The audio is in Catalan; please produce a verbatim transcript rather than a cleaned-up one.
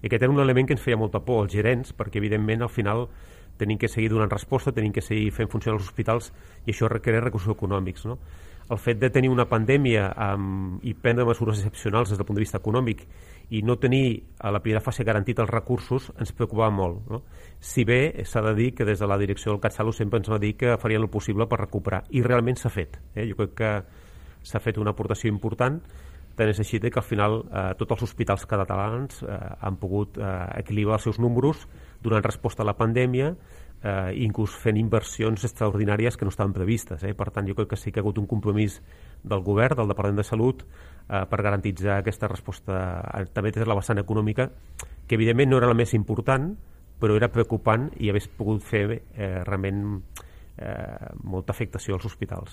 I aquest era un element que ens feia molta por, els gerents, perquè evidentment al final tenim que seguir donant resposta, tenim que seguir fent funcionar els hospitals i això requereix recursos econòmics, no? El fet de tenir una pandèmia um, i prendre mesures excepcionals des del punt de vista econòmic i no tenir a la primera fase garantit els recursos ens preocupava molt, no? Si bé s'ha de dir que des de la direcció del CatSalut sempre ens va dir que farien el possible per recuperar, i realment s'ha fet, eh? Jo crec que s'ha fet una aportació important, tant és així que al final eh, tots els hospitals catalans eh, han pogut eh, equilibrar els seus números donant resposta a la pandèmia, eh, inclús fent inversions extraordinàries que no estaven previstes, eh? Per tant jo crec que sí que ha hagut un compromís del govern, del Departament de Salut, eh, per garantitzar aquesta resposta eh, també des de la vessant econòmica, que evidentment no era la més important, però era preocupant i hagués pogut fer eh, realment eh, molta afectació als hospitals.